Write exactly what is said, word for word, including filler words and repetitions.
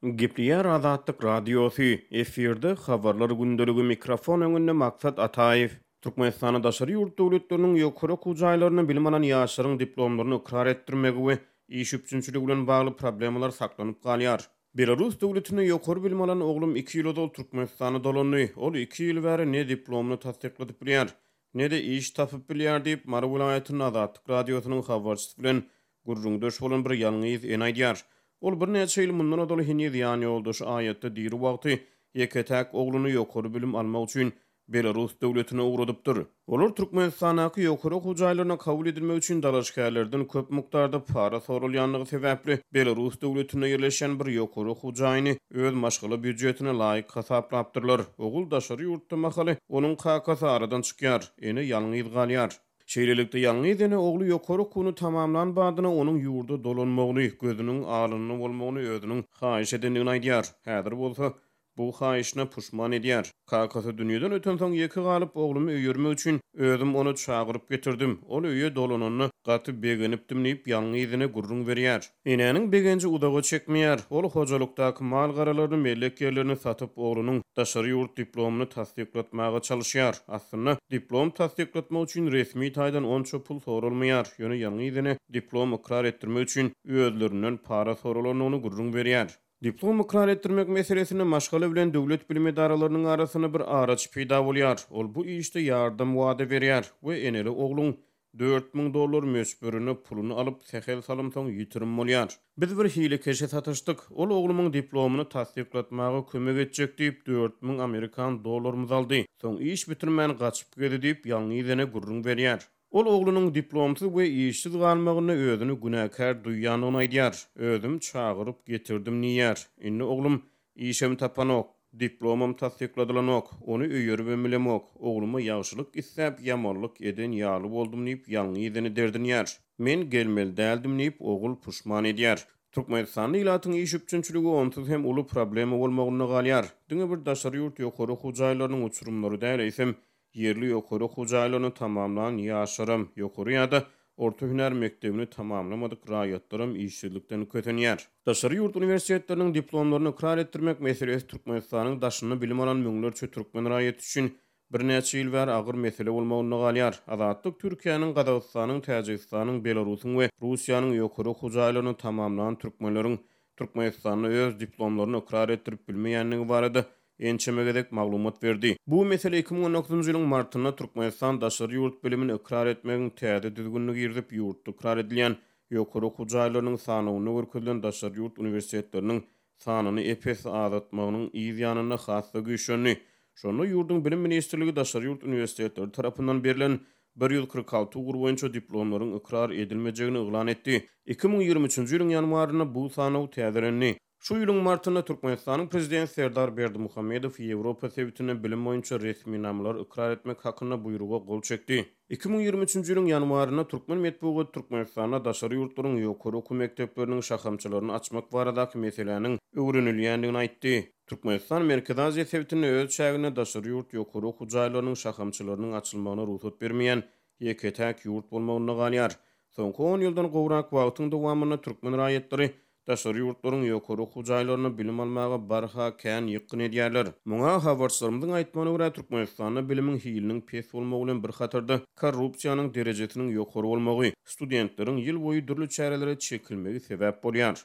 Gepleýär Azatlyk Radiosy, efirde Habarlar gündeligi, mikrofon öňünde Maksat Ataýew. Türkmenistanda daşary ýurt döwletleriniň ýokary okuw jaýlarynda bilim alan ýaşlaryň diplomlaryny ykrar etdirmegi we iş üpjünçiligi bilen bagly problemalar saklanyp galýar. Belarus döwletinde ýokary bilim alan oglum iki ýyl ozal Türkmenistana dolandy. Ol iki ýyl bäri ne diplomyny tassykladyp bilýär, ne-de iş tapyp bilýär diýip, Mary welaýatynda Azatlyk Radiosynyň habarçysy bilen gürrüňdeş bolan bir ýalňyz ene aýdýar. Ol birnäçe ýyl mundan ozal heniz ýan ýoldaşy aýatda diri wagty ýeke-täk ogluny ýokary bilim almak üçin Belarus döwletine ugradypdyr. Olar Türkmenistandaky ýokary okuw jaýlaryna kabul edilmek üçin dalaşgärlerden köp mukdarda para sorulýandygy sebäpli Belarus döwletinde ýerleşen bir ýokary okuw jaýyny öz maşgala býujetine laýyk hasaplapdyrlar. Ogul daşary ýurtda mahaly onuň kakasy aradan çykýar, ene ýalňyz galýar. Şeýlelikde ýalňyz ene ogly ýokary okuwyny tamamlan badyna onuň ýurda dolanmagyny, gözüniň alynda bolmagyny özüniň haýyş edendigini aýdýar. Häzir bolsa bu haýyşyna puşman edýär. Kakasy dünýeden ötensoň ýeke galyp oglumy öýermek üçin özüm ony çagyryp getirdim. Ol öýe dolananda gaty begenipdim diýip ýalňyz ene gürrüň berýär. Enäniň begenji uzaga çekmeýär. Ol hojalykdaky mal garalaryny, mellek ýerlerini satyp oglunyň daşary ýurt diplomyny tassyklatmaga çalışýar. Aslynda diplom tassyklatmak üçin resmi taýdan onça pul sorulmaýar. Ýöne ýalňyz ene diplom ykrar etdirmek üçin özlerinden para sorulandygyny gürrüň berýär. Diplom ykrar etdirmek meselesinde maşgala bilen döwlet bilim edaralarynyň arasynda bir araç peýda bolýar. Ol bu işde ýardam wada berýär we eneli ogluň dört müň dollar möçberinde puluny alyp sähel salymsoň ýitirim bolýar. Biz bir hilekeşe satyşdyk. Ol oglumyň diplomyny tassyklatmaga kömek etjek diýip dört müň amerikan dollarymyzy aldy. Soň iş bitirmän gaçyp gezi diýip ýalňyz ene gürrüň berýär. Ol oglunyň diplomsyz we işsiz galmagynda özüni günäkär duýýandygyny aýdýar. Özüm çagyryp getirdim diýýär. Indi oglum işem tapanok, diplomam tassykladylanok, ony öýeribem bilemok. Ogluma ýagşylyk isläp, ýamanlyk eden ýaly boldum diýip ýalňyz ene derdinýär. Men gelmeli däldim diýip ogul puşman edýär. Türkmenistanda ilatyň iş üpjünçiligi onsuz hem uly problema bolmagynda galýar. Diňe bir daşary ýurt ýokary okuw jaýlarynyň uçurymlary däl, eýsem ýerli ýokary okuw jaýlaryny tamamlan ýaşlaram, ýokary ýa-da orta hünär mekdebini tamamlamadyk raýatlaram işsizlikden kösenýär. Daşary ýurt uniwersitetleriniň diplomlaryny ykrar etdirmek meselesi Türkmenistanyň daşynda bilim alan müňlerçe türkmen raýaty üçin birnäçe ýyl bäri agyr mesele bolmagynda galýar. Azatlyk Türkiýäniň, Gazagystanyň, Täjigistanyň, Belarusyň we Russiýanyň ýokary okuw jaýlaryny tamamlan türkmenleriň Türkmenistanda öz diplomlaryny ykrar etdirip bilmeýändigi barada ençeme gezek maglumat berdi. Bu mesele iki müň on dokuzynjy ýylyň martynda Türkmenistan daşary ýurt bilimini ykrar etmegiň täze düzgünini girizip, ýurtda ykrar edilýän ýokary okuw jaýlarynyň sanawynda görkezilen daşary ýurt uniwersitetleriniň sanyny epes azaltmagynyň yz ýanynda has-da güýçlendi. Şonda ýurduň bilim ministrligi daşary ýurt uniwersitetleri tarapyndan berlen bir ýüz kyrk alty ugur boýunça diplomlaryň ykrar edilmejegini yglan etdi. iki müň ýigrimi üçünji ýylyň ýanwarynda bu sanaw täzelendi. Şu ýylyň martynda Türkmenistanyň prezidenti Serdar Berdimuhamedow Ýewropa sebitinde bilim boýunça resminamalar ykrar etmek hakynda buýruga gol çekdi. iki müň ýigrimi üçünji ýylyň ýanwarynda Türkmen metbugaty Türkmenistanda daşary ýurtlaryň ýokary okuw mekdepleriniň şahamçalaryny açmak baradaky meseläniň öwrenilýändigini aýtdy. Türkmenistan Merkezi Aziýa sebitinde öz çäginde daşary ýurt ýokary okuw jaýlarynyň şahamçalarynyň açylmagyna rugsat bermeýän ýeke-täk ýurt bolmagynda galýar. Soňky on ýyldan gowrak wagtyň dowamynda türkmen raýatlary daşary ýurtlaryň ýokary okuw jaýlaryna bilim almaga barha kän ýykgyn edýärler. Muňa habarçylarymyzyň aýtmagyna görä Türkmenistanda bilimiň hiliniň pes bolmagy bilen bir hatarda korrupsiýanyň derejesiniň ýokary bolmagy, studentleriň ýyl boýy dürli çärelere çekilmegi sebäp bolýar.